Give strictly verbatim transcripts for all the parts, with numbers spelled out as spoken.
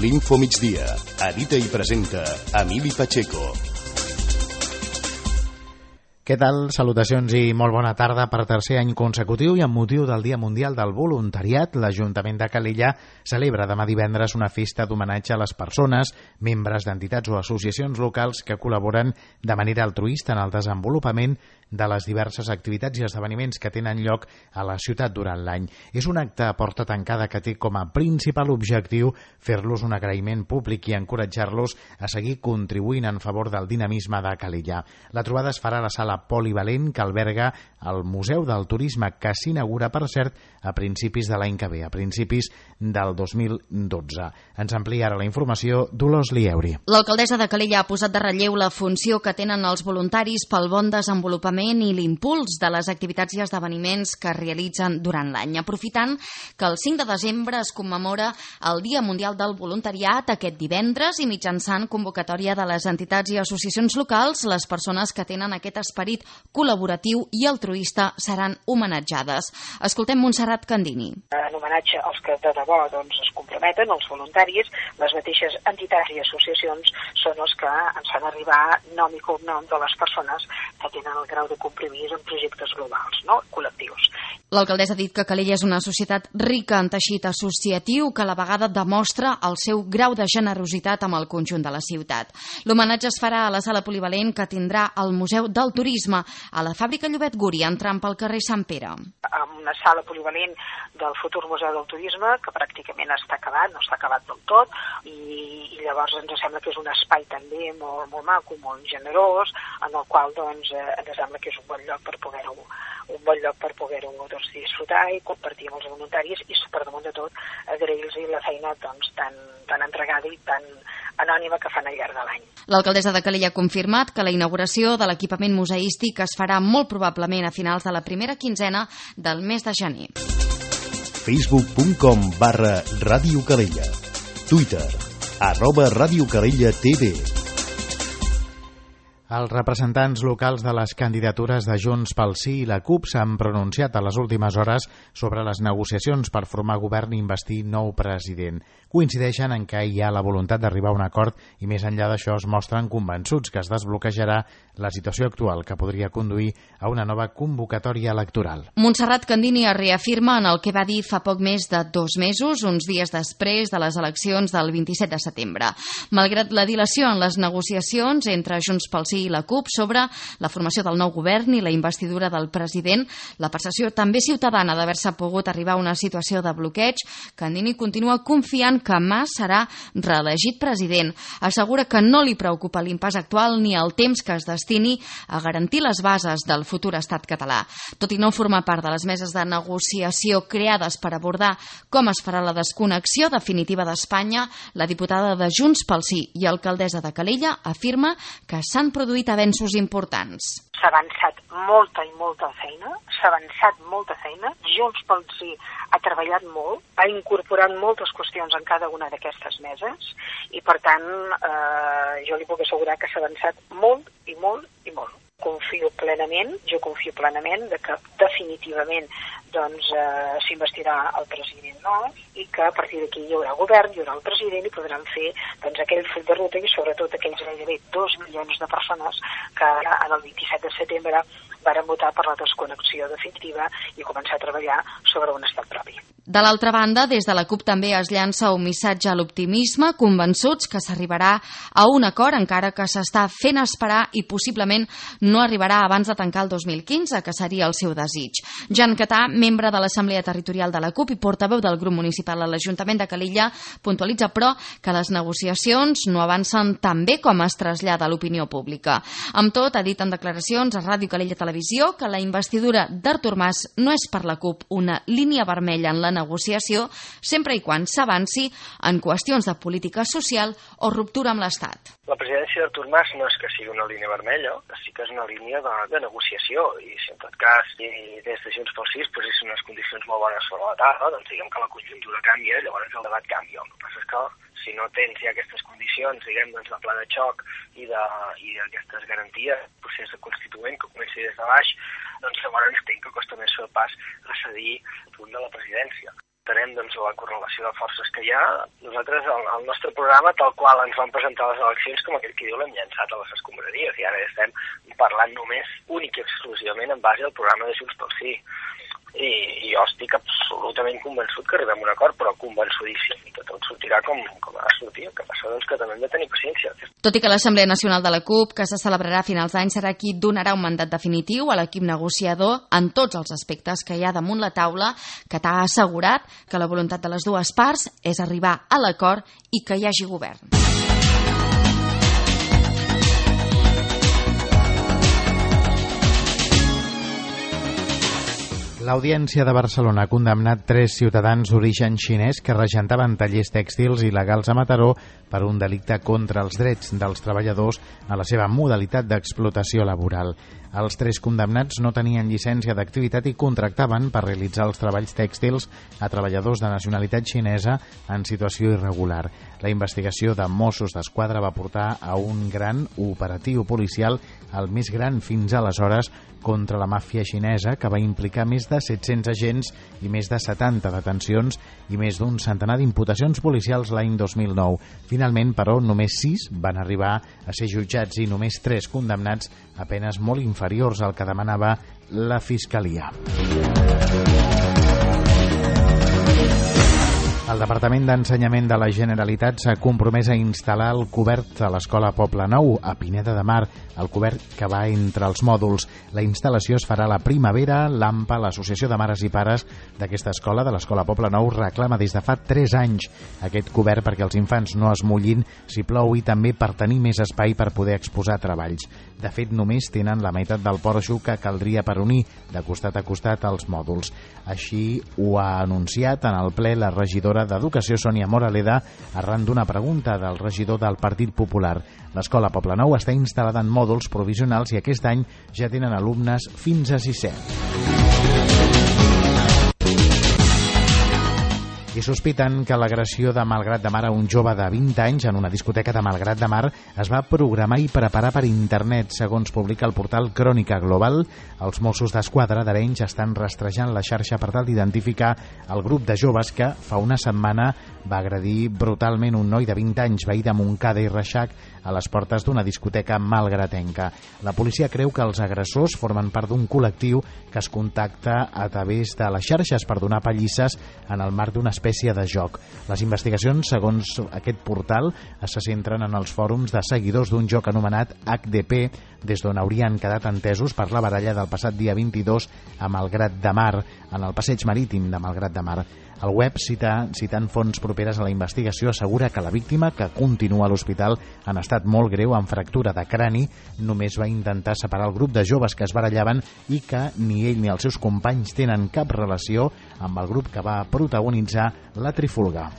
L'Info Migdia. Edita i presenta Emili Pacheco. Què tal? Salutacions i molt bona tarda. Per tercer any consecutiu i amb motiu del Dia Mundial del Voluntariat, l'Ajuntament de Calella celebra demà divendres una festa d'homenatge a les persones, membres d'entitats o associacions locals que col·laboren de manera altruista en el desenvolupament de les diverses activitats i esdeveniments que tenen lloc a la ciutat durant l'any. És un acte a porta tancada que té com a principal objectiu fer-los un agraïment públic i encoratjar-los a seguir contribuint en favor del dinamisme de Calella. La trobada es farà a la sala polivalent que alberga el Museu del Turisme, que s'inaugura, per cert, a principis de l'any que ve, a principis del dos mil dotze. Ens amplia ara la informació Dolors Lieuri. L'alcaldessa de Calella ha posat de relleu la funció que tenen els voluntaris pel bon desenvolupament i l'impuls de les activitats i esdeveniments que es realitzen durant l'any. Aprofitant que el cinc de desembre es commemora el Dia Mundial del Voluntariat aquest divendres i mitjançant convocatòria de les entitats i associacions locals, les persones que tenen aquest esperit col·laboratiu i altruista seran homenatjades. Escoltem Montserrat Candini. En homenatge als que de debò doncs, es comprometen, els voluntaris, les mateixes entitats i associacions són els que ens fan arribar nom i cognom de les persones que tenen el grau de compromís en projectes globals, no? Col·lectius. L'alcaldessa ha dit que Calella és una societat rica en teixit associatiu que a la vegada demostra el seu grau de generositat amb el conjunt de la ciutat. L'homenatge es farà a la sala polivalent que tindrà el Museu del Turisme a la fàbrica Llobet Guri, entrant pel carrer Sant Pere. Amb una sala polivalent del futur Museu del Turisme, que pràcticament està acabat, no està acabat del tot, i, i llavors ens sembla que és un espai també molt, molt maco, molt generós, en el qual doncs, eh, ens sembla que és un bon lloc per poder-ho un bon lloc per poder-ho doncs, disfrutar i compartir amb els voluntaris i, per damunt de tot, agrair-los la feina doncs, tan, tan entregada i tan anònima que fan al llarg de l'any. L'alcaldessa de Calella ha confirmat que la inauguració de l'equipament museístic es farà molt probablement a finals de la primera quinzena del mes de gener. facebook punt com barra Ràdio Calella. Twitter, arroba Ràdio Calella T V. Els representants locals de les candidatures de Junts pel Sí i la CUP s'han pronunciat a les últimes hores sobre les negociacions per formar govern i investir nou president. Coincideixen en que hi ha la voluntat d'arribar a un acord i més enllà d'això es mostren convençuts que es desbloquejarà la situació actual que podria conduir a una nova convocatòria electoral. Montserrat Candini es reafirma en el que va dir fa poc més de dos mesos, uns dies després de les eleccions del vint-i-set de setembre. Malgrat la dilació en les negociacions entre Junts pel Sí i la CUP sobre la formació del nou govern i la investidura del president, la percepció també ciutadana d'haver-se pogut arribar a una situació de bloqueig, Candini continua confiant que Mas serà reelegit president. Assegura que no li preocupa l'impàs actual ni el temps que es destini a garantir les bases del futur estat català. Tot i no formar part de les meses de negociació creades per abordar com es farà la desconnexió definitiva d'Espanya, la diputada de Junts pel Sí i alcaldessa de Calella afirma que s'han produït avenços importants. S'ha avançat molta i molta feina, s'ha avançat molta feina, Junts pel Sí ha treballat molt, ha incorporat moltes qüestions en cada una d'aquestes meses i per tant eh, jo li puc assegurar que s'ha avançat molt i molt i molt. Confio plenament, jo confio plenament de que definitivament doncs, eh, s'investirà el president nou i que a partir d'aquí hi haurà govern, hi haurà el president i podran fer doncs, aquell full de ruta i sobretot aquells gairebé dos milions de persones que en el vint-i-set de setembre varen votar per la desconnexió definitiva i començar a treballar sobre un estat propi. De l'altra banda, des de la CUP també es llança un missatge a l'optimisme, convençuts que s'arribarà a un acord, encara que s'està fent esperar i possiblement no arribarà abans de tancar el dos mil quinze, que seria el seu desig. Jan Catà, membre de l'Assemblea Territorial de la CUP i portaveu del grup municipal a l'Ajuntament de Calella, puntualitza, però, que les negociacions no avancen tan bé com es trasllada a l'opinió pública. Amb tot, ha dit en declaracions a Ràdio Calella Televisió que la investidura d'Artur Mas no és per la CUP una línia vermella en la negociació, sempre i quan s'avanci en qüestions de política social o ruptura amb l'Estat. La presidència d'Artur Mas no és que sigui una línia vermella, sí que és una línia de, de negociació i si en tot cas i des de Junts pel Sí es posessin unes condicions molt bones sobre la taula, doncs diguem que la conjuntura canvia i llavors el debat canvia. El que passa és que si no tens ja aquestes condicions, diguem, doncs, de pla de xoc i d'aquestes garanties, procés constituent que comenci des de baix, doncs llavors entenc que costa més fer el pas a cedir el punt de la presidència. Tenem doncs, la correlació de forces que hi ha. Nosaltres, el, el nostre programa, tal qual ens van presentar les eleccions, com aquell que diu, l'hem llançat a les escombraries, i ara estem parlant només únic i exclusivament en base al programa de Junts pel Sí. I, i jo estic absolutament convençut que arribem a un acord, però convençudíssim que tot sortirà com, com ha de sortir. El que passa doncs, que també hem de tenir paciència. Tot i que l'Assemblea Nacional de la CUP, que se celebrarà a finals d'any, serà qui donarà un mandat definitiu a l'equip negociador en tots els aspectes que hi ha damunt la taula, que t'ha assegurat que la voluntat de les dues parts és arribar a l'acord i que hi hagi govern. L'Audiència de Barcelona ha condemnat tres ciutadans d'origen xinès que regentaven tallers tèxtils il·legals a Mataró per un delicte contra els drets dels treballadors a la seva modalitat d'explotació laboral. Els tres condemnats no tenien llicència d'activitat i contractaven per realitzar els treballs tèxtils a treballadors de nacionalitat xinesa en situació irregular. La investigació de Mossos d'Esquadra va portar a un gran operatiu policial, el més gran fins aleshores, contra la màfia xinesa, que va implicar més de set-cents agents i més de setanta detencions i més d'un centenar d'imputacions policials l'any dos mil nou. Finalment, però, només sis van arribar a ser jutjats i només tres condemnats, a penes molt inferiors al que demanava la Fiscalia. El Departament d'Ensenyament de la Generalitat s'ha compromès a instal·lar el cobert a l'Escola Poble Nou, a Pineda de Mar, el cobert que va entre els mòduls. La instal·lació es farà a la primavera. L'A M P A, l'Associació de Mares i Pares d'aquesta escola, de l'Escola Poble Nou, reclama des de fa tres anys aquest cobert perquè els infants no es mullin si plou i també per tenir més espai per poder exposar treballs. De fet, només tenen la meitat del porxo que caldria per unir de costat a costat els mòduls. Així ho ha anunciat en el ple la regidora d'Educació, Sònia Moraleda, arran d'una pregunta del regidor del Partit Popular. L'Escola Poble Nou està instal·lada en mòduls provisionals i aquest any ja tenen alumnes fins a sisè. I sospiten que l'agressió de Malgrat de Mar a un jove de vint anys en una discoteca de Malgrat de Mar es va programar i preparar per internet, segons publica el portal Crònica Global. Els Mossos d'Esquadra d'Arenys estan rastrejant la xarxa per tal d'identificar el grup de joves que fa una setmana va agredir brutalment un noi de vint anys, veí de Montcada i Reixac, a les portes d'una discoteca malgratenca. La policia creu que els agressors formen part d'un col·lectiu que es contacta a través de les xarxes per donar pallisses en el marc d'una espècie de joc. Les investigacions, segons aquest portal, se centren en els fòrums de seguidors d'un joc anomenat H D P, des d'on haurien quedat entesos per la baralla del passat dia vint-i-dos a Malgrat de Mar, en el passeig marítim de Malgrat de Mar. El web, cita, citant fonts properes a la investigació, assegura que la víctima, que continua a l'hospital en estat molt greu amb fractura de crani, només va intentar separar el grup de joves que es barallaven i que ni ell ni els seus companys tenen cap relació amb el grup que va protagonitzar la trifulga.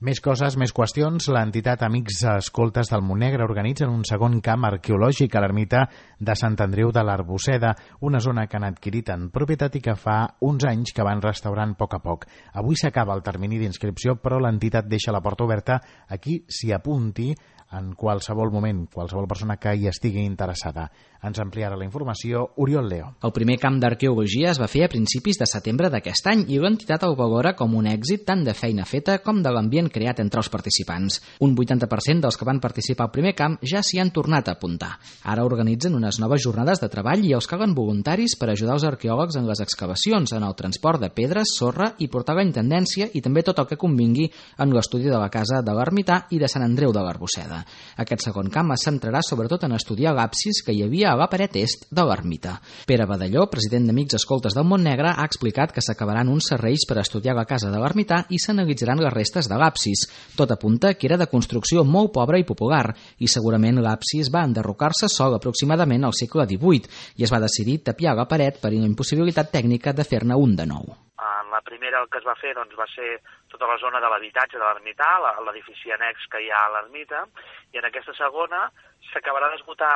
Més coses, més qüestions. L'entitat Amics Escoltes del Montnegre organitzen un segon camp arqueològic a l'ermita de Sant Andreu de l'Arbosseda, una zona que han adquirit en propietat i que fa uns anys que van restaurant a poc a poc. Avui s'acaba el termini d'inscripció, però l'entitat deixa la porta oberta a qui s'hi apunti en qualsevol moment, qualsevol persona que hi estigui interessada. Ens ampliarà la informació Oriol Leo. El primer camp d'arqueologia es va fer a principis de setembre d'aquest any i l'entitat el valora com un èxit tant de feina feta com de l'ambient creat entre els participants. Un vuitanta per cent dels que van participar al primer camp ja s'hi han tornat a apuntar. Ara organitzen unes noves jornades de treball i els calen voluntaris per ajudar els arqueòlegs en les excavacions, en el transport de pedres, sorra i portar la intendència i també tot el que convingui en l'estudi de la casa de l'Ermità i de Sant Andreu de l'Arbosseda. Aquest segon camp es centrarà sobretot en estudiar l'absis que hi havia a la paret est de l'ermita. Pere Badalló, president d'Amics Escoltes del Montnegre, ha explicat que s'acabaran uns serrells per estudiar la casa de l'ermità i s'analitzaran les restes de l'absis. Tot apunta que era de construcció molt pobra i popular i segurament l'absis va enderrocar-se sol aproximadament al segle divuit i es va decidir tapiar la paret per una impossibilitat tècnica de fer-ne un de nou. En la primera el que es va fer doncs, va ser tota la zona de l'habitatge de l'ermità, l'edifici annex que hi ha a l'ermita, i en aquesta segona s'acabarà d'esgotar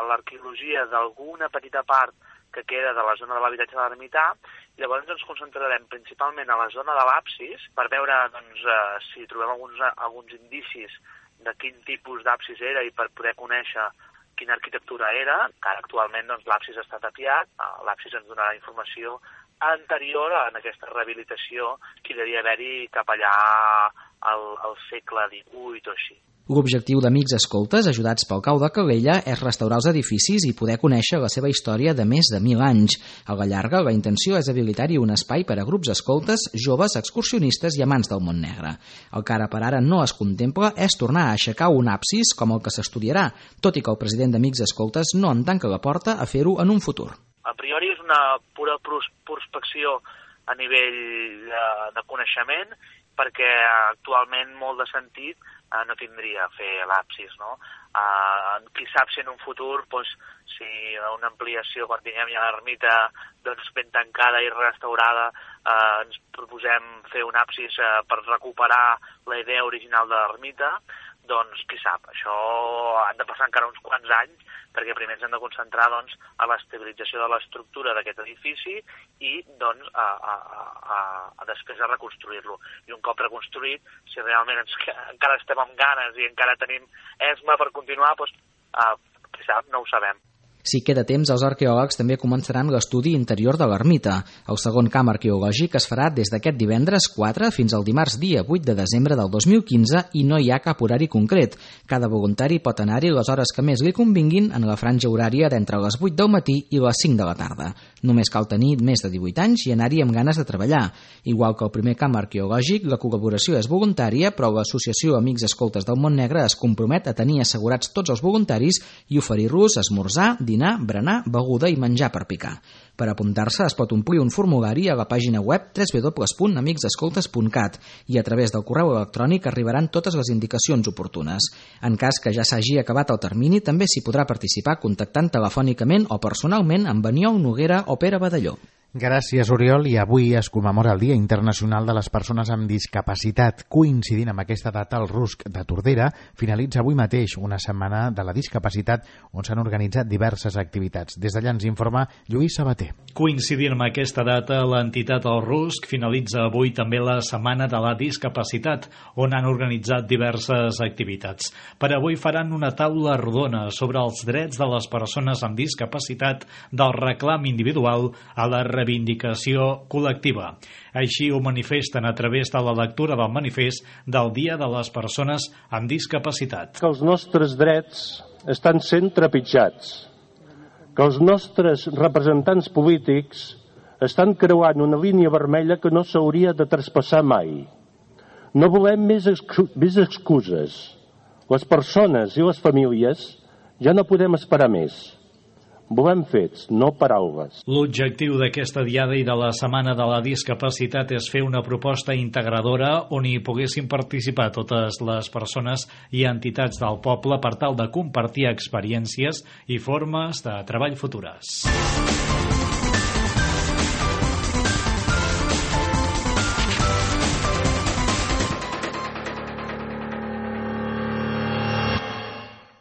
l'arqueologia d'alguna petita part que queda de la zona de l'habitatge de l'ermità, i llavors ens concentrarem principalment a la zona de l'absis per veure doncs, si trobem alguns, alguns indicis de quin tipus d'absis era i per poder conèixer quina arquitectura era, que ara actualment doncs, l'absis està tapiat, l'absis ens donarà informació anterior a aquesta rehabilitació que devia haver-hi cap allà al, al segle divuit o així. L'objectiu d'Amics Escoltes, ajudats pel Cau de Calella, és restaurar els edificis i poder conèixer la seva història de més de mil anys. A la llarga, la intenció és habilitar-hi un espai per a grups escoltes, joves, excursionistes i amants del món negre. El que ara per ara no es contempla és tornar a aixecar un absis com el que s'estudiarà, tot i que el president d'Amics Escoltes no en tanca la porta a fer-ho en un futur. A priori és una pura prospecció a nivell de, de coneixement, perquè actualment molt de sentit eh, no tindria fer l'absis, no? Eh, qui sap si en un futur, doncs, si una ampliació, quan tinguem ja l'ermita doncs, ben tancada i restaurada, eh, ens proposem fer un absis eh, per recuperar la idea original de l'ermita, doncs qui sap, això han de passar encara uns quants anys, perquè primer ens hem de concentrar doncs, a l'estabilització de l'estructura d'aquest edifici i doncs, a, a, a, a després a reconstruir-lo. I un cop reconstruït, si realment ens, encara estem amb ganes i encara tenim esma per continuar, doncs, eh, qui sap, no ho sabem. Si queda temps, els arqueòlegs també començaran l'estudi interior de l'ermita. El segon camp arqueològic es farà des d'aquest divendres quatre fins al dimarts dia vuit de desembre del dos mil quinze i no hi ha cap horari concret. Cada voluntari pot anar-hi les hores que més li convinguin en la franja horària d'entre les vuit del matí i les cinc de la tarda. Només cal tenir més de divuit anys i anar-hi amb ganes de treballar. Igual que el primer camp arqueològic, la col·laboració és voluntària, però l'Associació Amics Escoltes del Món Negre es compromet a tenir assegurats tots els voluntaris i oferir-los esmorzar, dinar, berenar, beguda i menjar per picar. Per apuntar-se es pot omplir un formulari a la pàgina web w w w punt amics escoltes punt cat i a través del correu electrònic arribaran totes les indicacions oportunes. En cas que ja s'hagi acabat el termini, també s'hi podrà participar contactant telefònicament o personalment amb Aniol Noguera o Pere Badalló. Gràcies, Oriol. I avui es commemora el Dia Internacional de les Persones amb Discapacitat. Coincidint amb aquesta data, el RUSC de Tordera finalitza avui mateix una setmana de la discapacitat on s'han organitzat diverses activitats. Des d'allà ens informa Lluís Sabater. Coincidint amb aquesta data, l'entitat el RUSC finalitza avui també la Setmana de la Discapacitat, on han organitzat diverses activitats. Per avui faran una taula rodona sobre els drets de les persones amb discapacitat, del reclam individual a la reivindicació col·lectiva. Així ho manifesten a través de la lectura del manifest del Dia de les Persones amb Discapacitat. Que els nostres drets estan sent trepitjats, que els nostres representants polítics estan creuant una línia vermella que no s'hauria de traspassar mai. No volem més, excu més excuses. Les persones i les famílies ja no podem esperar més. Volem fets, no paraules. L'objectiu d'aquesta diada i de la Setmana de la Discapacitat és fer una proposta integradora on hi poguessin participar totes les persones i entitats del poble per tal de compartir experiències i formes de treball futures.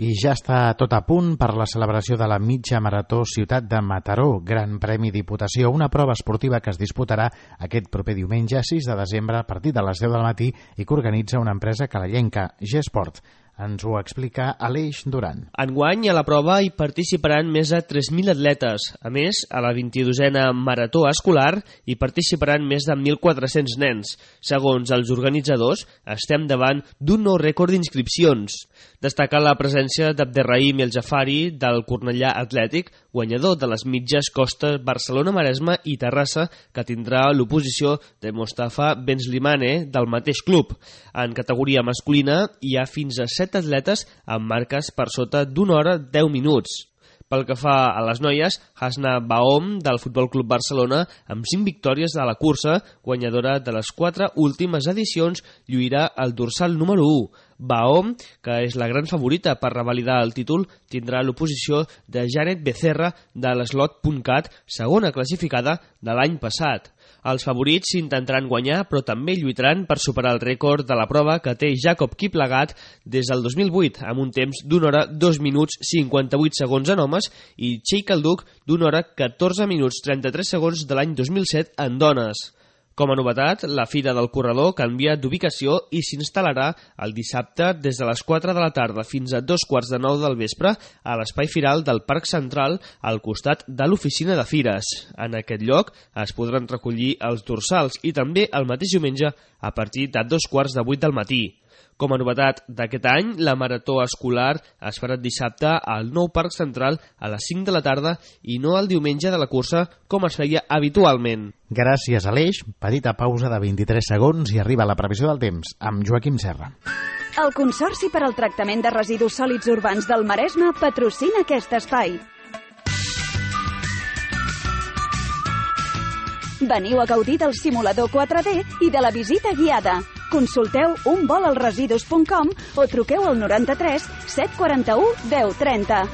I ja està tot a punt per la celebració de la mitja marató Ciutat de Mataró, Gran Premi Diputació, una prova esportiva que es disputarà aquest proper diumenge sis de desembre a partir de les deu del matí i que organitza una empresa calellenca, G-Sport. Ens ho explica Aleix Duran. Enguany a la prova hi participaran més de tres mil atletes. A més, a la vint-i-dosena marató escolar hi participaran més de mil quatre-cents nens. Segons els organitzadors, estem davant d'un nou rècord d'inscripcions. Destacar la presència d'Abderrahim El Jafari del Cornellà Atlètic, guanyador de les mitges costes Barcelona-Maresme i Terrassa, que tindrà l'oposició de Mostafa Benslimane del mateix club. En categoria masculina hi ha fins a set atletes amb marques per sota d'una hora deu minuts. Pel que fa a les noies, Hasna Baom del Futbol Club Barcelona, amb cinc victòries a la cursa, guanyadora de les quatre últimes edicions, lluirà el dorsal número u. Baom, que és la gran favorita per revalidar el títol, tindrà l'oposició de Janet Becerra de l'Slot punt cat, segona classificada de l'any passat. Els favorits s'intentaran guanyar, però també lluitaran per superar el rècord de la prova que té Jacob Kiplagat des del dos mil vuit, amb un temps d'una hora dos minuts cinquanta-vuit segons en homes i Sheikh Alduc d'una hora catorze minuts trenta-tres segons de l'any dos mil set en dones. Com a novetat, la Fira del Corredor canvia d'ubicació i s'instal·larà el dissabte des de les quatre de la tarda fins a dos quarts de nou del vespre a l'espai firal del Parc Central al costat de l'oficina de fires. En aquest lloc es podran recollir els dorsals i també el mateix diumenge a partir de dos quarts de vuit del matí. Com a novetat d'aquest any, la marató escolar es farà dissabte al nou Parc Central a les cinc de la tarda i no el diumenge de la cursa com es feia habitualment. Gràcies, Aleix. Petita pausa de vint-i-tres segons i arriba la previsió del temps amb Joaquim Serra. El Consorci per al Tractament de Residus Sòlids Urbans del Maresme patrocina aquest espai. Veniu a gaudir del simulador quatre D i de la visita guiada. Consulteu un vol als residus punt com o truqueu al noranta-tres set quaranta-u deu trenta.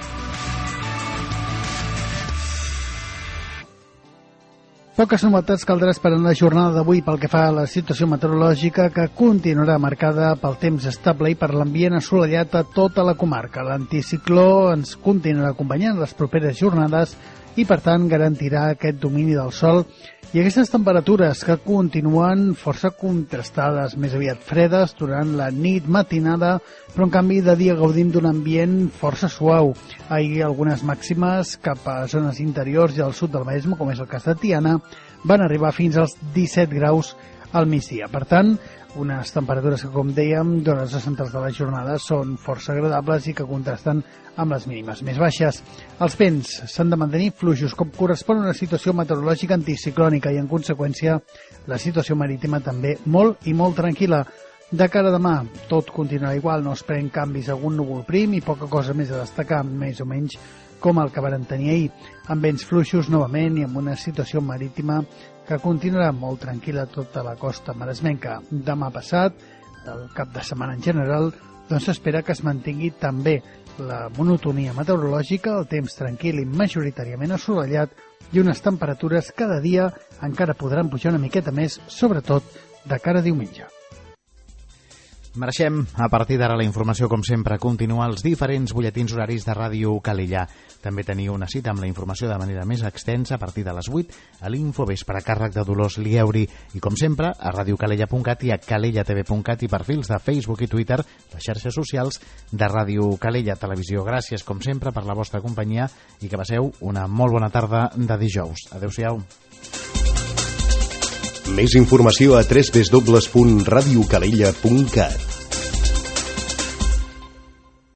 Poques novetats caldrà esperar en la jornada d'avui pel que fa a la situació meteorològica, que continuarà marcada pel temps estable i per l'ambient assolellat a tota la comarca. L'anticicló ens continuarà acompanyant les properes jornades i, per tant, garantirà aquest domini del sol i aquestes temperatures que continuen força contrastades, més aviat fredes durant la nit matinada, però en canvi de dia gaudim d'un ambient força suau. Ahir algunes màximes cap a zones interiors i al sud del Maresme, com és el cas de Tiana, van arribar fins als disset graus al migdia. Per tant, unes temperatures que, com dèiem, durant les centrals de la jornada són força agradables i que contrasten amb les mínimes més baixes. Els vents s'han de mantenir fluixos, com correspon a una situació meteorològica anticiclònica i, en conseqüència, la situació marítima també molt i molt tranquil·la. De cara a demà, tot continuarà igual, no es pren canvis, algun núvol prim i poca cosa més a destacar, més o menys com el que varen tenir ahir, amb vents fluixos novament i amb una situació marítima que continuarà molt tranquil·la a tota la costa maresmenca. Demà passat, el cap de setmana en general, doncs s'espera que es mantingui també la monotonia meteorològica, el temps tranquil i majoritàriament assolellat i unes temperatures cada dia encara podran pujar una miqueta més, sobretot de cara a diumenge. Mereixem, a partir d'ara, la informació, com sempre, continua als diferents butlletins horaris de Ràdio Calella. També teniu una cita amb la informació de manera més extensa a partir de les vuit a l'Infovespre, a càrrec de Dolors Lieuri. I, com sempre, a radiocalella punt cat i a calella t v punt cat i perfils de Facebook i Twitter, les xarxes socials de Ràdio Calella Televisió. Gràcies, com sempre, per la vostra companyia i que passeu una molt bona tarda de dijous. Adéu-siau. Més informació a w w w punt radiocalella punt cat.